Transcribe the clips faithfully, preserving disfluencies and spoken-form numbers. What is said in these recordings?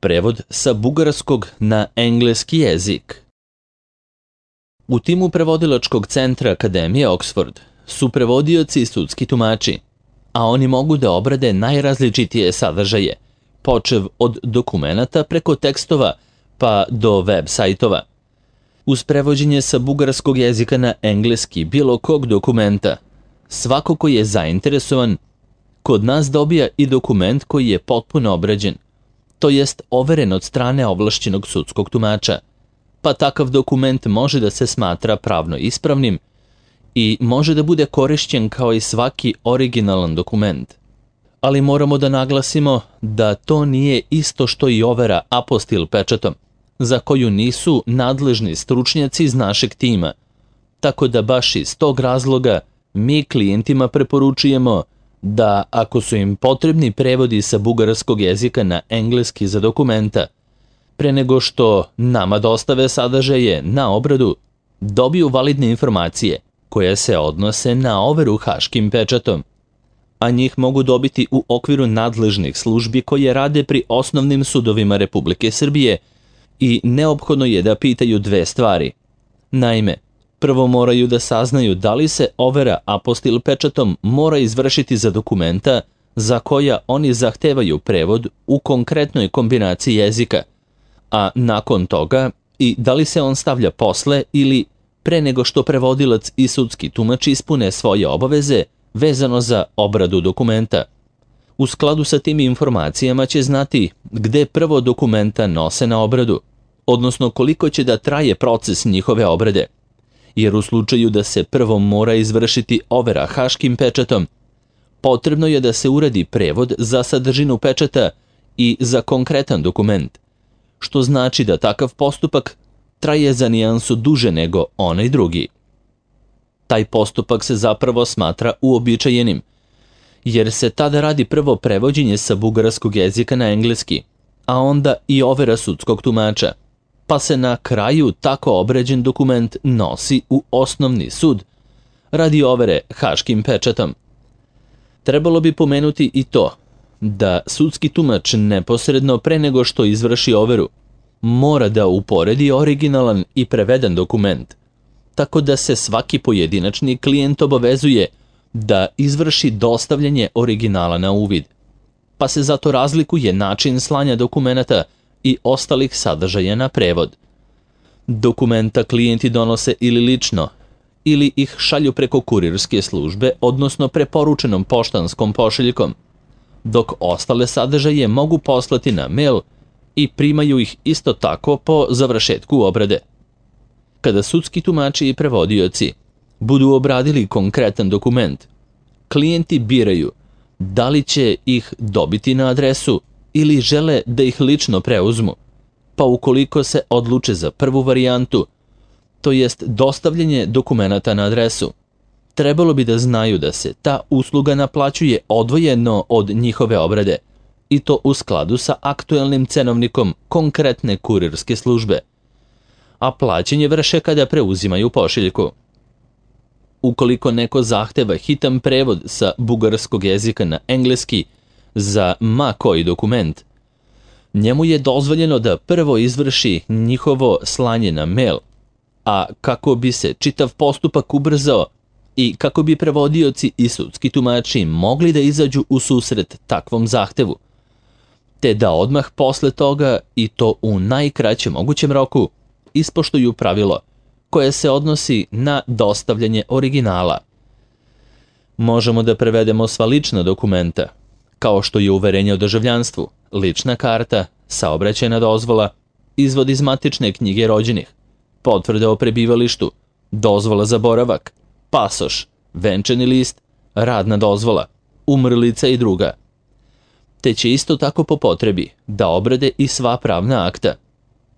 Prevod sa bugarskog na engleski jezik. U timu prevodilačkog centra Akademije Oxford su prevodioci i sudski tumači, a oni mogu da obrade najrazličitije sadržaje, počev od dokumenata preko tekstova pa do web sajtova. Uz prevođenje sa bugarskog jezika na engleski bilo kog dokumenta, svako ko je zainteresovan kod nas dobija i dokument koji je potpuno obrađen, to jest overen od strane ovlašćenog sudskog tumača, pa takav dokument može da se smatra pravno ispravnim i može da bude korišćen kao i svaki originalan dokument. Ali moramo da naglasimo da to nije isto što i overa apostil pečatom, za koju nisu nadležni stručnjaci iz našeg tima, tako da baš iz tog razloga mi klijentima preporučujemo da ako su im potrebni prevodi sa bugarskog jezika na engleski za dokumenta, pre nego što nama dostave sadržaje na obradu, dobiju validne informacije koje se odnose na overu haškim pečatom, a njih mogu dobiti u okviru nadležnih službi koje rade pri osnovnim sudovima Republike Srbije i neophodno je da pitaju dve stvari. Naime, prvo moraju da saznaju da li se overa apostil pečatom mora izvršiti za dokumenta za koja oni zahtevaju prevod u konkretnoj kombinaciji jezika, a nakon toga i da li se on stavlja posle ili pre nego što prevodilac i sudski tumač ispune svoje obaveze vezano za obradu dokumenta. U skladu sa tim informacijama će znati gde prvo dokumenta nose na obradu, odnosno koliko će da traje proces njihove obrade, jer u slučaju da se prvo mora izvršiti overa haškim pečatom, potrebno je da se uradi prevod za sadržinu pečata i za konkretan dokument, što znači da takav postupak traje za nijansu duže nego onaj drugi. Taj postupak se zapravo smatra uobičajenim, jer se tada radi prvo prevođenje sa bugarskog jezika na engleski, a onda i overa sudskog tumača, pa se na kraju tako obrađen dokument nosi u osnovni sud radi overe haškim pečatom. Trebalo bi pomenuti i to da sudski tumač neposredno pre nego što izvrši overu mora da uporedi originalan i preveden dokument, tako da se svaki pojedinačni klijent obavezuje da izvrši dostavljanje originala na uvid, pa se zato razlikuje način slanja dokumenata i ostalih sadržaja na prevod. Dokumenta klijenti donose ili lično, ili ih šalju preko kurirske službe, odnosno preporučenom poštanskom pošiljkom, dok ostale sadržaje mogu poslati na mail i primaju ih isto tako po završetku obrade. Kada sudski tumači i prevodioci budu obradili konkretan dokument, klijenti biraju da li će ih dobiti na adresu ili žele da ih lično preuzmu, pa ukoliko se odluče za prvu varijantu, to jest dostavljanje dokumenata na adresu, trebalo bi da znaju da se ta usluga naplaćuje odvojeno od njihove obrade, i to u skladu sa aktuelnim cenovnikom konkretne kurirske službe, a plaćanje vrše kada preuzimaju pošiljku. Ukoliko neko zahteva hitan prevod sa bugarskog jezika na engleski za ma koji dokument, njemu je dozvoljeno da prvo izvrši njihovo slanje na mail, a kako bi se čitav postupak ubrzao i kako bi prevodioci i sudski tumači mogli da izađu u susret takvom zahtevu, te da odmah posle toga i to u najkraćem mogućem roku ispoštuju pravilo koje se odnosi na dostavljanje originala. Možemo da prevedemo sva lična dokumenta, kao što je uverenje o državljanstvu, lična karta, saobraćajna dozvola, izvod iz matične knjige rođenih, potvrda o prebivalištu, dozvola za boravak, pasoš, venčani list, radna dozvola, umrlica i druga. Te će isto tako po potrebi da obrade i sva pravna akta,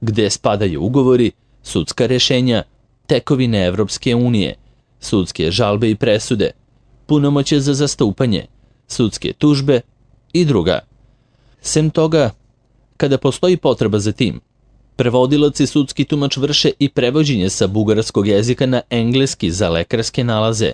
gde spadaju ugovori, sudska rešenja, tekovine Evropske unije, sudske žalbe i presude, punomoćje za zastupanje, sudske tužbe i druga. Sem toga, kada postoji potreba za tim, prevodilac i sudski tumač vrše i prevođenje sa bugarskog jezika na engleski za lekarske nalaze,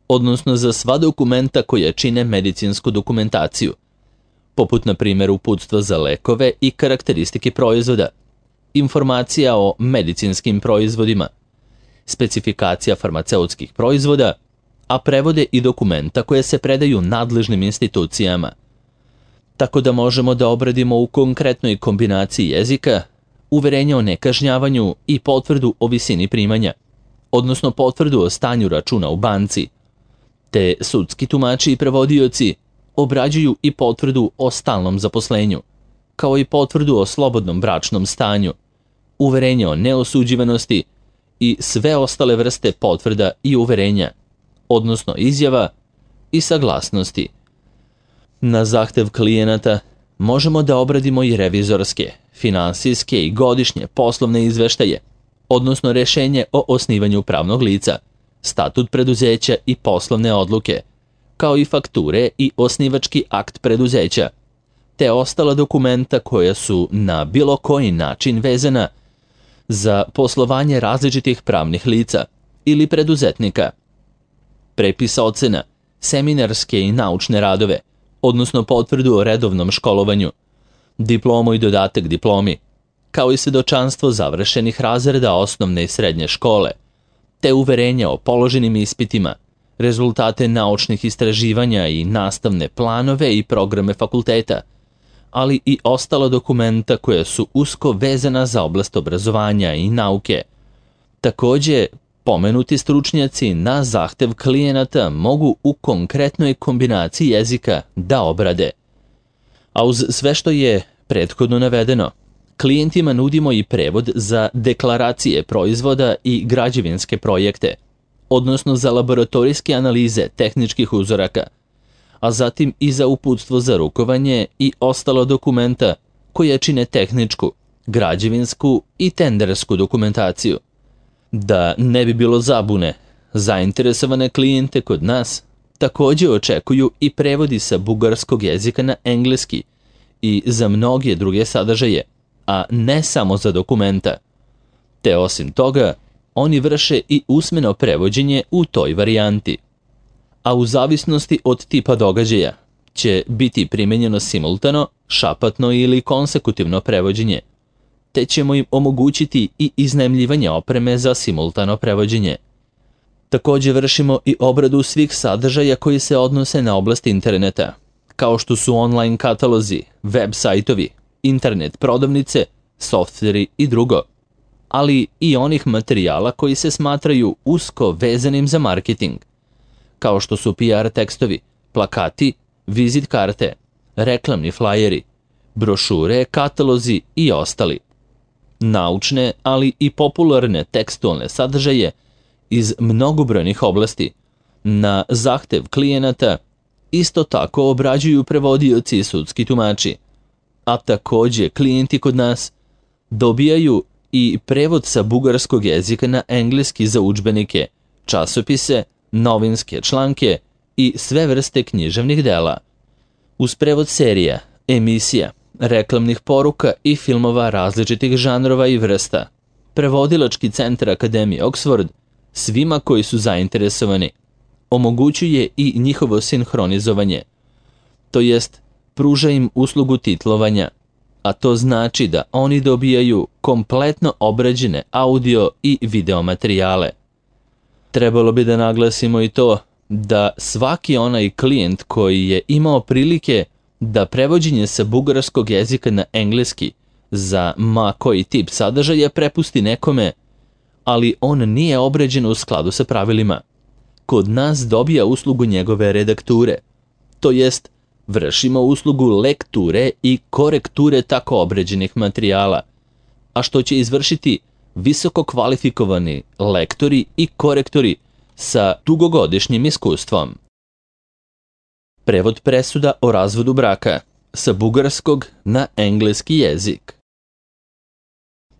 odnosno za sva dokumenta koja čine medicinsku dokumentaciju, poput na primjer uputstva za lekove i karakteristike proizvoda, informacija o medicinskim proizvodima, specifikacija farmaceutskih proizvoda, a prevode i dokumenta koje se predaju nadležnim institucijama. Tako da možemo da obradimo u konkretnoj kombinaciji jezika uverenje o nekažnjavanju i potvrdu o visini primanja, odnosno potvrdu o stanju računa u banci, te sudski tumači i prevodioci obrađuju i potvrdu o stalnom zaposlenju, kao i potvrdu o slobodnom bračnom stanju, uverenje o neosuđivanosti i sve ostale vrste potvrda i uverenja, odnosno izjava i saglasnosti. Na zahtev klijenata možemo da obradimo i revizorske, finansijske i godišnje poslovne izveštaje, odnosno rešenje o osnivanju pravnog lica, statut preduzeća i poslovne odluke, kao i fakture i osnivački akt preduzeća, te ostala dokumenta koja su na bilo koji način vezana za poslovanje različitih pravnih lica ili preduzetnika, prepisa ocena, seminarske i naučne radove, odnosno potvrdu o redovnom školovanju, diplomu i dodatak diplomi, kao i svedočanstvo završenih razreda osnovne i srednje škole, te uverenja o položenim ispitima, rezultate naučnih istraživanja i nastavne planove i programe fakulteta, ali i ostala dokumenta koja su usko vezana za oblast obrazovanja i nauke. Takođe, pomenuti stručnjaci na zahtev klijenata mogu u konkretnoj kombinaciji jezika da obrade. A uz sve što je prethodno navedeno, klijentima nudimo i prevod za deklaracije proizvoda i građevinske projekte, odnosno za laboratorijske analize tehničkih uzoraka, a zatim i za uputstvo za rukovanje i ostala dokumenta koje čine tehničku, građevinsku i tendersku dokumentaciju. Da ne bi bilo zabune, zainteresovane klijente kod nas takođe očekuju i prevodi sa bugarskog jezika na engleski i za mnoge druge sadržaje, a ne samo za dokumenta. Te osim toga, oni vrše i usmeno prevođenje u toj varijanti. A u zavisnosti od tipa događaja će biti primenjeno simultano, šapatno ili konsekutivno prevođenje, te ćemo im omogućiti i iznajmljivanje opreme za simultano prevođenje. Takođe vršimo i obradu svih sadržaja koji se odnose na oblast interneta, kao što su online katalozi, web sajtovi, internet prodavnice, softveri i drugo, ali i onih materijala koji se smatraju usko vezanim za marketing, kao što su P R tekstovi, plakati, vizit karte, reklamni flajeri, brošure, katalozi i ostali. Naučne, ali i popularne tekstualne sadržaje iz mnogobrojnih oblasti na zahtev klijenata isto tako obrađuju prevodioci i sudski tumači, a takođe klijenti kod nas dobijaju i prevod sa bugarskog jezika na engleski za udžbenike, časopise, novinske članke i sve vrste književnih dela. Uz prevod serija, emisija, reklamnih poruka i filmova različitih žanrova i vrsta, prevodilački centar Akademije Oxford svima koji su zainteresovani omogućuje i njihovo sinhronizovanje, to jest pruža im uslugu titlovanja, a to znači da oni dobijaju kompletno obrađene audio i video materijale. Trebalo bi da naglasimo i to da svaki onaj klijent koji je imao prilike da prevođenje sa bugarskog jezika na engleski za ma koji tip sadržaja prepusti nekome, ali on nije obrađen u skladu sa pravilima, kod nas dobija uslugu njegove redakture, to jest vršimo uslugu lekture i korekture tako obrađenih materijala, a što će izvršiti visoko kvalifikovani lektori i korektori sa dugogodišnjim iskustvom. Prevod presuda o razvodu braka sa bugarskog na engleski jezik.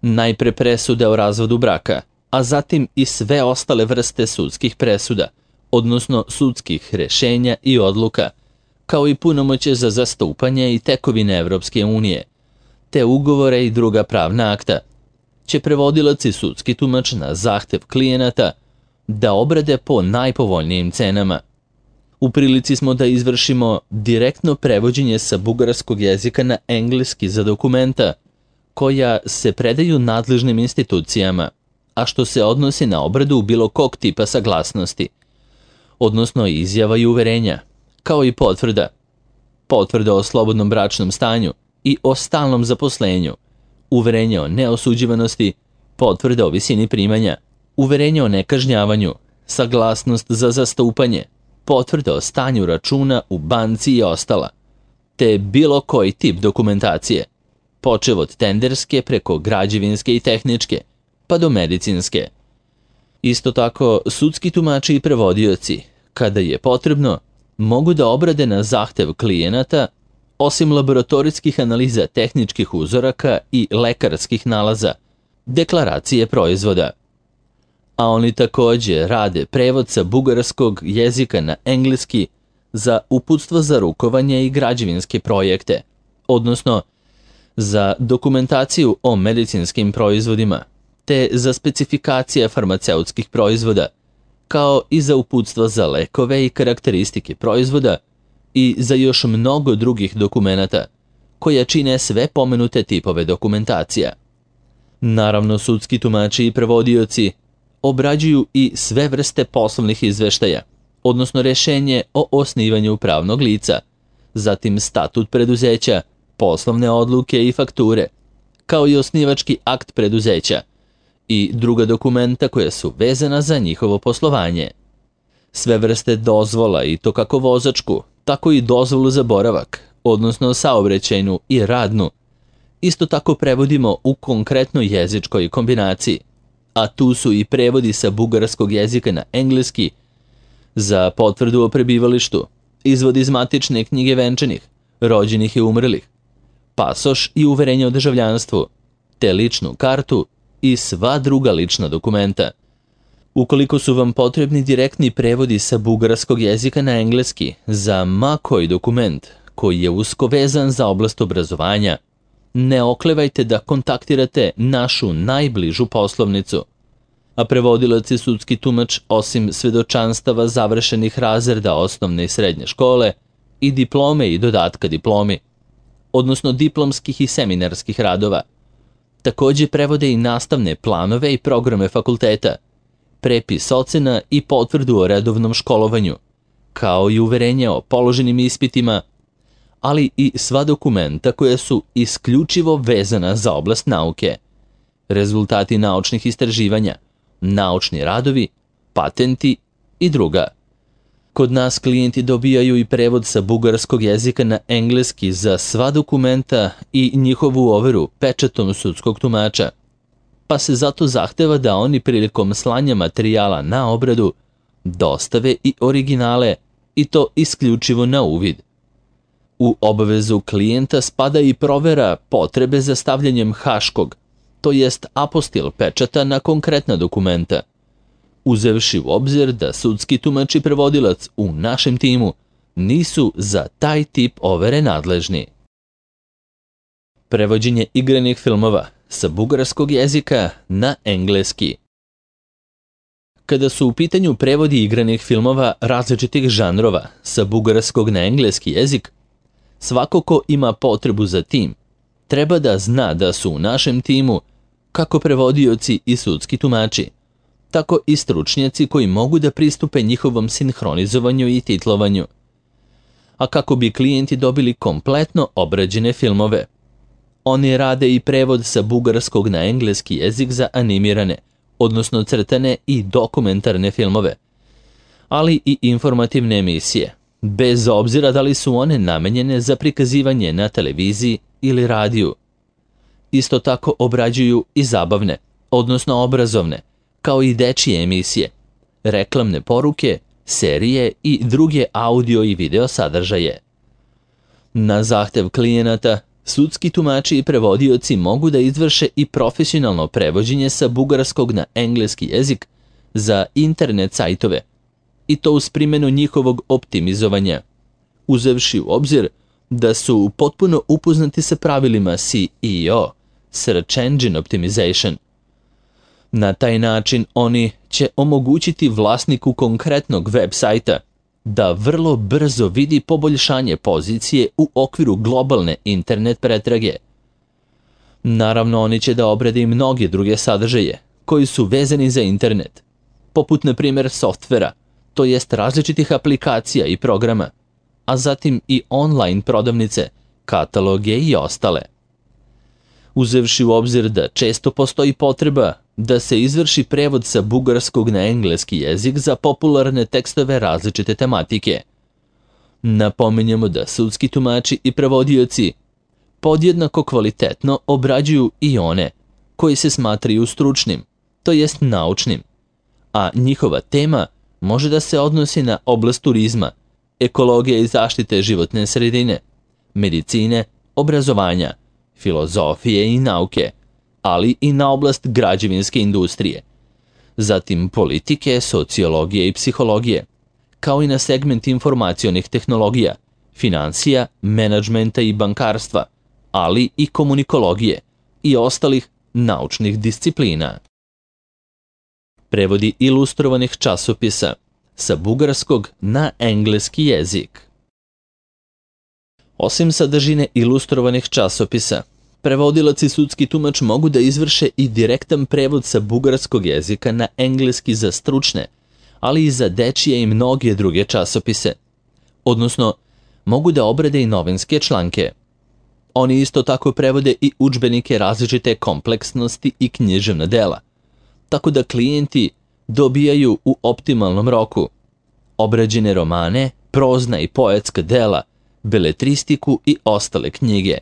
Najpre presuda o razvodu braka, a zatim i sve ostale vrste sudskih presuda, odnosno sudskih rešenja i odluka, kao i punomoće za zastupanje i tekovine Evropske unije, te ugovore i druga pravna akta, će prevodilac i sudski tumač na zahtev klijenata da obrade po najpovoljnijim cenama. U prilici smo da izvršimo direktno prevođenje sa bugarskog jezika na engleski za dokumenta koja se predaju nadležnim institucijama, a što se odnosi na obradu bilo kog tipa saglasnosti, odnosno izjava i uverenja, kao i potvrda, potvrda o slobodnom bračnom stanju i o stalnom zaposlenju, uverenje o neosuđivanosti, potvrda o visini primanja, uverenje o nekažnjavanju, saglasnost za zastupanje, potvrda o stanju računa u banci i ostala, te bilo koji tip dokumentacije, počev od tenderske preko građevinske i tehničke, pa do medicinske. Isto tako, sudski tumači i prevodioci, kada je potrebno, mogu da obrade na zahtev klijenata, osim laboratorijskih analiza tehničkih uzoraka i lekarskih nalaza, deklaracije proizvoda. A oni takođe rade prevod sa bugarskog jezika na engleski za uputstvo za rukovanje i građevinske projekte, odnosno za dokumentaciju o medicinskim proizvodima, te za specifikacije farmaceutskih proizvoda, kao i za uputstva za lekove i karakteristike proizvoda i za još mnogo drugih dokumenata, koja čine sve pomenute tipove dokumentacija. Naravno, sudski tumači i prevodioci obrađuju i sve vrste poslovnih izveštaja, odnosno rešenje o osnivanju pravnog lica, zatim statut preduzeća, poslovne odluke i fakture, kao i osnivački akt preduzeća i druga dokumenta koja su vezana za njihovo poslovanje. Sve vrste dozvola, i to kako vozačku, tako i dozvolu za boravak, odnosno saobraćajnu i radnu, isto tako prevodimo u konkretnoj jezičkoj kombinaciji, a tu su i prevodi sa bugarskog jezika na engleski za potvrdu o prebivalištu, izvod iz matične knjige venčanih, rođenih i umrlih, pasoš i uverenje o državljanstvu, te ličnu kartu i sva druga lična dokumenta. Ukoliko su vam potrebni direktni prevodi sa bugarskog jezika na engleski za ma koji dokument koji je usko vezan za oblast obrazovanja, ne oklevajte da kontaktirate našu najbližu poslovnicu. A prevodilac i sudski tumač, osim svedočanstava završenih razreda osnovne i srednje škole i diplome i dodatka diplomi, odnosno diplomskih i seminarskih radova, takođe prevode i nastavne planove i programe fakulteta, prepis ocena i potvrdu o redovnom školovanju, kao i uverenje o položenim ispitima, ali i sva dokumenta koja su isključivo vezana za oblast nauke, rezultati naučnih istraživanja, naučni radovi, patenti i druga. Kod nas klijenti dobijaju i prevod sa bugarskog jezika na engleski za sva dokumenta i njihovu overu pečatom sudskog tumača, pa se zato zahteva da oni prilikom slanja materijala na obradu dostave i originale, i to isključivo na uvid. U obavezu klijenta spada i provera potrebe za stavljanjem haškog, to jest apostil pečata na konkretna dokumenta, uzevši u obzir da sudski tumač i prevodilac u našem timu nisu za taj tip overe nadležni. Prevođenje igranih filmova sa bugarskog jezika na engleski. Kada su u pitanju prevodi igranih filmova različitih žanrova sa bugarskog na engleski jezik, svako ko ima potrebu za tim treba da zna da su u našem timu kako prevodioci i sudski tumači, tako i stručnjaci koji mogu da pristupe njihovom sinhronizovanju i titlovanju. A kako bi klijenti dobili kompletno obrađene filmove, oni rade i prevod sa bugarskog na engleski jezik za animirane, odnosno crtane i dokumentarne filmove, ali i informativne emisije, bez obzira da li su one namenjene za prikazivanje na televiziji ili radiju. Isto tako obrađuju i zabavne, odnosno obrazovne, kao i dečije emisije, reklamne poruke, serije i druge audio i video sadržaje. Na zahtev klijenata, sudski tumači i prevodioci mogu da izvrše i profesionalno prevođenje sa bugarskog na engleski jezik za internet sajtove, i to uz primjenu njihovog optimizovanja, uzevši u obzir da su potpuno upoznati sa pravilima S E O, Search Engine Optimization. Na taj način oni će omogućiti vlasniku konkretnog web sajta da vrlo brzo vidi poboljšanje pozicije u okviru globalne internet pretrage. Naravno, oni će da obrade i mnoge druge sadržaje koji su vezani za internet, poput na primjer softvera, to jest različitih aplikacija i programa, a zatim i online prodavnice, kataloge i ostale. Uzevši u obzir da često postoji potreba da se izvrši prevod sa bugarskog na engleski jezik za popularne tekstove različite tematike. Napominjemo da sudski tumači i prevodioci podjednako kvalitetno obrađuju i one koji se smatraju stručnim, to jest naučnim, a njihova tema može da se odnosi na oblast turizma, ekologije i zaštite životne sredine, medicine, obrazovanja, filozofije i nauke, ali i na oblast građevinske industrije, zatim politike, sociologije i psihologije, kao i na segment informacionih tehnologija, financija, menadžmenta i bankarstva, ali i komunikologije i ostalih naučnih disciplina. Prevodi ilustrovanih časopisa sa bugarskog na engleski jezik. Osim sadržine ilustrovanih časopisa, prevodilac i sudski tumač mogu da izvrše i direktan prevod sa bugarskog jezika na engleski za stručne, ali i za dečije i mnoge druge časopise. Odnosno, mogu da obrade i novinske članke. Oni isto tako prevode i udžbenike različite kompleksnosti i književna dela, tako da klijenti dobijaju u optimalnom roku obrađene romane, prozna i poetska dela, beletristiku i ostale knjige.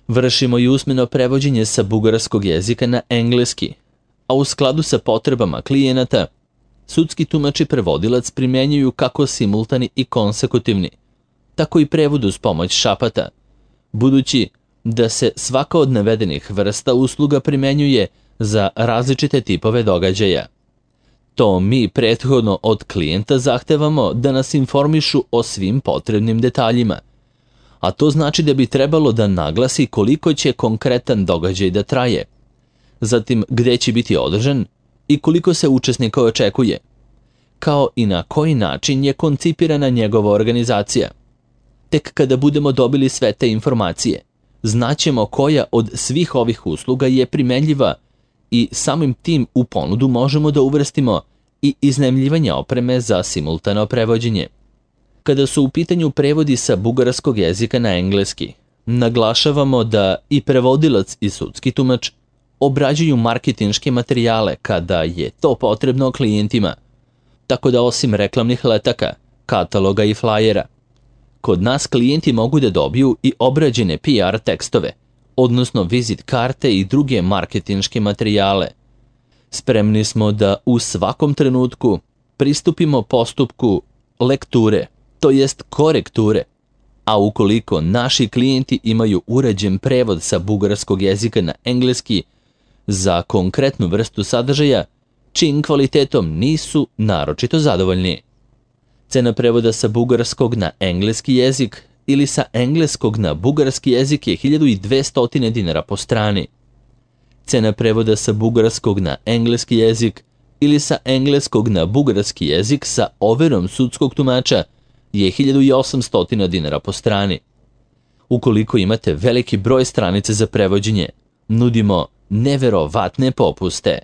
Vršimo i usmeno prevođenje sa bugarskog jezika na engleski, a u skladu sa potrebama klijenata, sudski tumač i prevodilac primjenjuju kako simultani i konsekutivni, tako i prevod uz pomoć šapata, budući da se svaka od navedenih vrsta usluga primjenjuje za različite tipove događaja. To mi prethodno od klijenta zahtevamo da nas informišu o svim potrebnim detaljima, a to znači da bi trebalo da naglasi koliko će konkretan događaj da traje, zatim gde će biti održan i koliko se učesnika očekuje, kao i na koji način je koncipirana njegova organizacija. Tek kada budemo dobili sve te informacije, znaćemo koja od svih ovih usluga je primenljiva i samim tim u ponudu možemo da uvrstimo i iznajmljivanje opreme za simultano prevođenje. Kada su u pitanju prevodi sa bugarskog jezika na engleski, naglašavamo da i prevodilac i sudski tumač obrađuju marketinške materijale kada je to potrebno klijentima, tako da osim reklamnih letaka, kataloga i flajera, kod nas klijenti mogu da dobiju i obrađene P R tekstove, odnosno vizit karte i druge marketinške materijale. Spremni smo da u svakom trenutku pristupimo postupku lekture, to jest korekture, a ukoliko naši klijenti imaju uređen prevod sa bugarskog jezika na engleski za konkretnu vrstu sadržaja, čijim kvalitetom nisu naročito zadovoljni. Cena prevoda sa bugarskog na engleski jezik ili sa engleskog na bugarski jezik je hiljadu dvesta dinara po strani. Cena prevoda sa bugarskog na engleski jezik ili sa engleskog na bugarski jezik sa overom sudskog tumača je hiljadu osamsto dinara po strani. Ukoliko imate veliki broj stranice za prevođenje, nudimo neverovatne popuste.